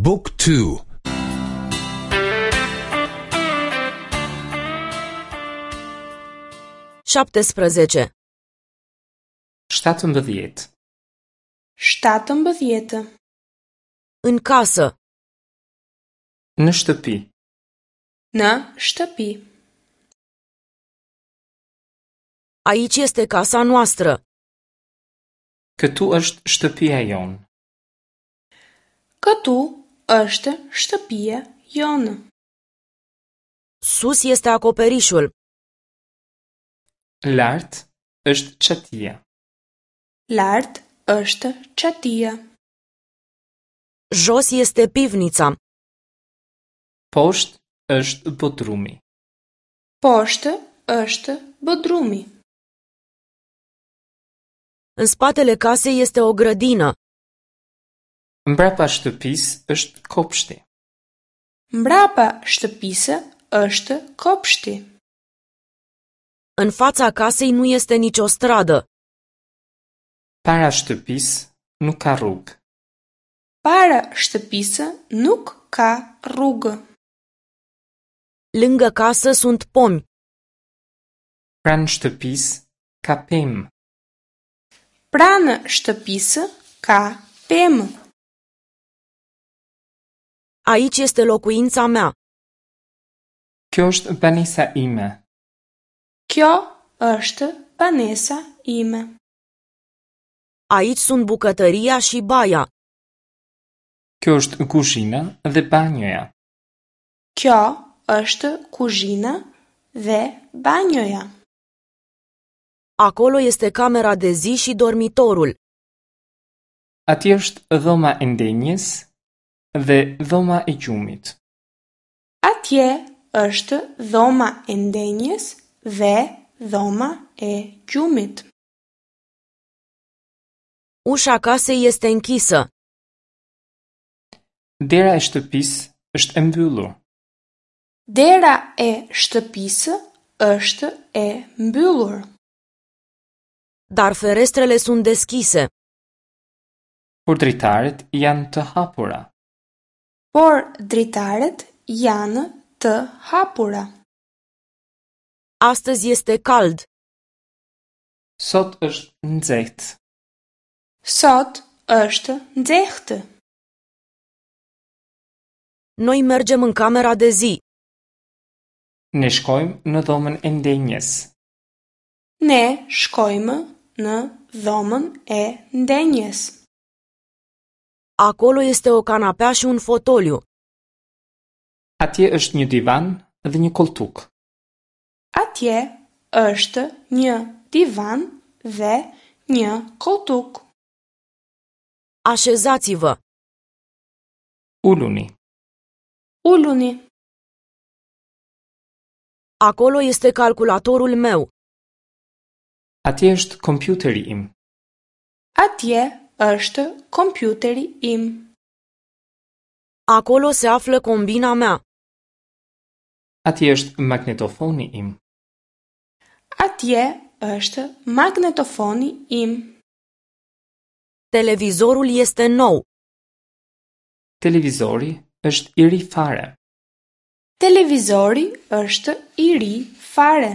บุ๊กทู 17. 17. 17. În casă. Në shtëpi. Në shtëpi. Aici este casa noastră. Këtu është shtëpia jonë. Këtu është shtëpia jonë. Sus este acoperișul. Lart është çatia. Lart është çatia. Jos este pivnița. Poshtë është bodrumi. Poshtë është bodrumi. În spatele casei este o grădină. Mbrapa shtëpisë është kopshti. Mbrapa shtëpisë është kopshti. În fața casei nu este nicio stradă. Para shtëpisë nuk ka rrugë. Para shtëpisë nuk ka rrugë. Lângă casă sunt pomi. Pranë shtëpisë ka pemë. Pranë shtëpisë ka pemë. Aici este locuința mea. Kjo është banesa ime. Kjo është banesa ime. Aici sunt bucătăria și baia. Kjo është kuzhina dhe banjoja. Kjo është kuzhina dhe banjoja. Acolo este camera de zi și dormitorul. Atje është dhoma e ndenjes dhe dhoma e gjumit. Atje është dhoma e ndenjes dhe dhoma e gjumit. Ușa casei este închisă. Dera e shtëpisë është e mbyllur. Dera e shtëpisë është e mbyllur, Dar ferestrele sunt deschise. Por dritaret janë të hapura. por dritaret janë të hapura. Astăzi este cald. Sot është nxehtë. Sot është nxehtë. Noi mergem în camera de zi. Ne shkojmë në dhomën e ndenjes. Ne shkojmë në dhomën e ndenjes. Acolo este o canapea și un fotoliu. Atje është një divan dhe një koltuk. Atje është një divan dhe një koltuk. Așezați-vă. Uluni. Uluni. Acolo este calculatorul meu. Atje është kompjuteri im. Atje është kompjuteri im. Acolo se află combina mea. Atje është magnetofoni im. Atje është magnetofoni im. Televizorul este nou. Televizori është i ri fare. Televizori është i ri fare.